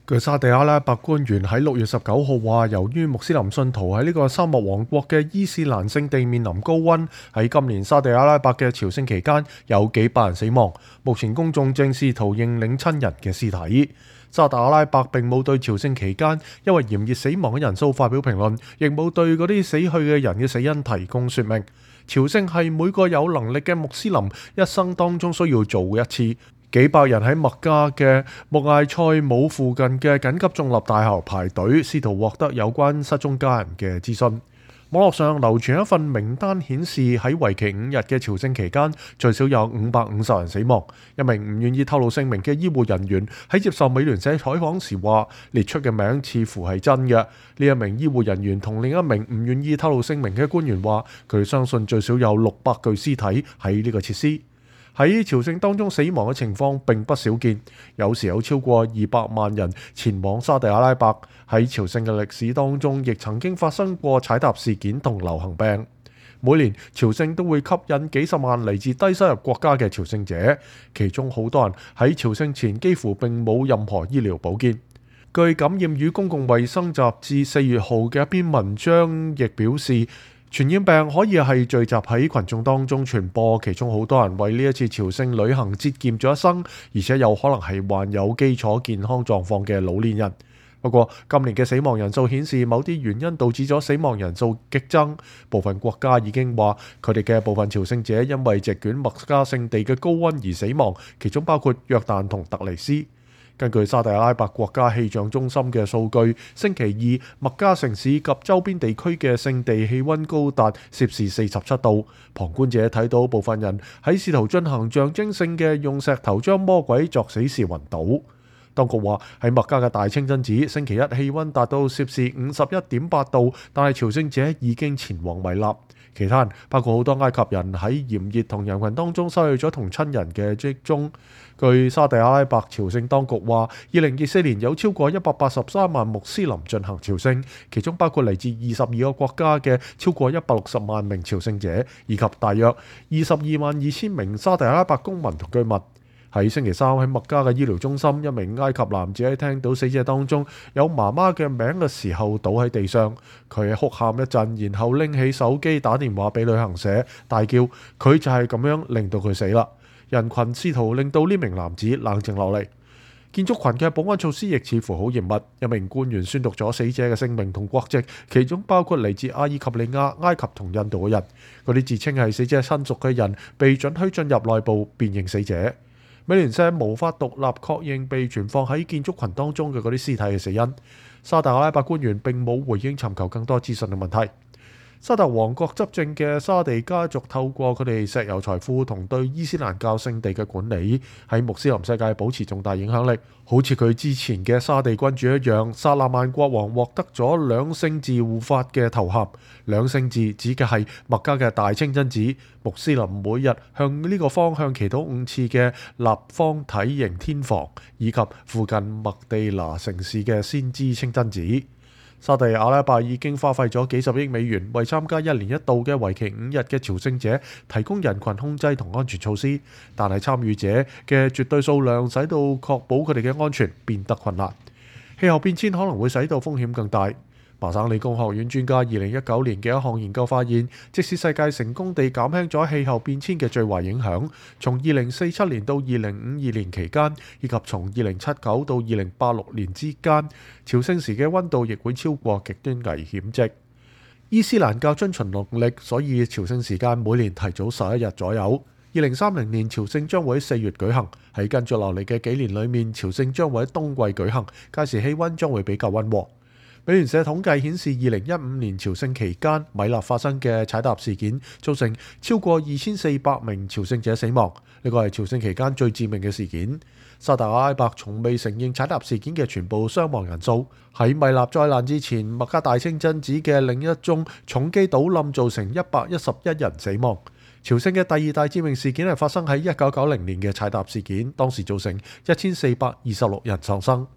據沙地阿拉伯官員喺6月19號話，由於穆斯林信徒喺呢個沙漠王國嘅伊斯蘭聖地面臨高溫，喺今年沙地阿拉伯嘅朝聖期間有幾百人死亡。目前公眾正試圖認領親人嘅屍體。沙特阿拉伯並冇對朝聖期間因為炎熱死亡嘅人數發表評論，亦冇對嗰啲死去嘅人嘅死因提供說明。朝聖係每個有能力嘅穆斯林一生當中需要做嘅一次。幾百人喺麥加嘅穆艾塞姆附近嘅緊急中立大學排隊，試圖獲得有關失蹤家人嘅資訊。網絡上流傳一份名單，顯示喺為期5日嘅朝聖期間，最少有550人死亡。一名唔願意透露姓名嘅醫護人員喺接受美聯社採訪時話，列出嘅名似乎係真嘅。呢一名醫護人員同另一名唔願意透露姓名嘅官員話，佢相信最少有600具屍體喺呢個設施。喺朝聖當中死亡嘅情況並不少見，有時有超過200萬人前往沙地阿拉伯。喺朝聖嘅歷史當中，亦曾經發生過踩踏事件同流行病。每年朝聖都會吸引幾十萬嚟自低收入國家嘅朝聖者，其中好多人喺朝聖前幾乎並冇任何醫療保健。據《感染與公共衛生雜誌》4月號嘅一篇文章亦表示，傳染病可以係聚集喺群眾當中傳播，其中好多人為呢一次朝聖旅行節儉咗一生，而且有可能係患有基礎健康狀況嘅老年人。不過今年嘅死亡人數顯示，某啲原因導致咗死亡人數激增。部分國家已經話佢哋嘅部分朝聖者因為席捲麥加聖地嘅高溫而死亡，其中包括約旦同突尼斯。根據沙特阿拉伯國家氣象中心嘅數據，星期二麥加城市及周邊地區嘅聖地氣溫高達攝氏47度。旁觀者睇到部分人喺試圖進行象徵性嘅用石頭將魔鬼作死時暈倒。當局話喺麥加嘅大清真寺，星期一氣溫達到攝氏51.8度，但係朝聖者已經前往米納。其他人包括好多埃及人喺炎熱同人群當中失去咗同親人嘅跡蹤。據沙地阿拉伯朝聖當局話，2024年有超過183萬穆斯林進行朝聖，其中包括嚟自22個國家嘅超過160萬名朝聖者，以及大約222000名沙地阿拉伯公民同居民。喺星期三喺麥加嘅醫療中心，一名埃及男子喺聽到死者當中有媽媽嘅名嘅時候倒喺地上，佢哭喊一陣，然後拎起手機打電話俾旅行社，大叫佢就係咁樣令到佢死啦。人群試圖令到呢名男子冷靜落嚟。建築群嘅保安措施亦似乎好嚴密，一名官員宣讀咗死者嘅姓名同國籍，其中包括嚟自阿爾及利亞、埃及同印度嘅人。嗰啲自稱係死者親屬嘅人被准許進入內部辨認死者。美聯社無法獨立確認被存放喺建築群當中嘅嗰啲屍體嘅死因。沙特阿拉伯官員並冇回應尋求更多資訊嘅問題。沙特王國執政嘅沙地家族透過佢哋石油財富同對伊斯蘭教聖地嘅管理，喺穆斯林世界保持重大影響力。好似佢之前嘅沙地君主一樣，薩勒曼國王獲得咗兩聖寺護法嘅頭銜。兩聖寺指嘅係麥加嘅大清真寺，穆斯林每日向呢個方向祈禱5次嘅立方體型天房，以及附近麥地那城市嘅先知清真寺。沙地阿拉伯已經花費咗幾十億美元，為參加1年1度嘅為期5日嘅朝聖者提供人群控制同安全措施，但係參與者嘅絕對數量使到確保佢哋嘅安全變得困難。氣候變遷可能會使到風險更大。麻省理工學院專家2019年嘅一項研究發現，即使世界成功地減輕咗氣候變遷嘅最壞影響，從2047年到2052年期間，以及從2079到2086年之間，朝聖時嘅溫度亦會超過極端危險值。伊斯蘭教遵循農曆，所以朝聖時間每年提早11日左右。2030年朝聖將會喺4月舉行，喺跟住落嚟嘅幾年裏面，朝聖將會喺冬季舉行，屆時氣溫將會比較溫和。美聯社統計顯示，2015年朝聖期間，米納發生嘅踩踏事件造成超過2400名朝聖者死亡，呢個係朝聖期間最致命嘅事件。沙特阿拉伯從未承認踩踏事件嘅全部傷亡人數。喺米納災難之前，麥加大清真寺嘅另一宗重機倒冧造成111人死亡。朝聖嘅第二大致命事件係發生喺1990年嘅踩踏事件，當時造成1426人喪生。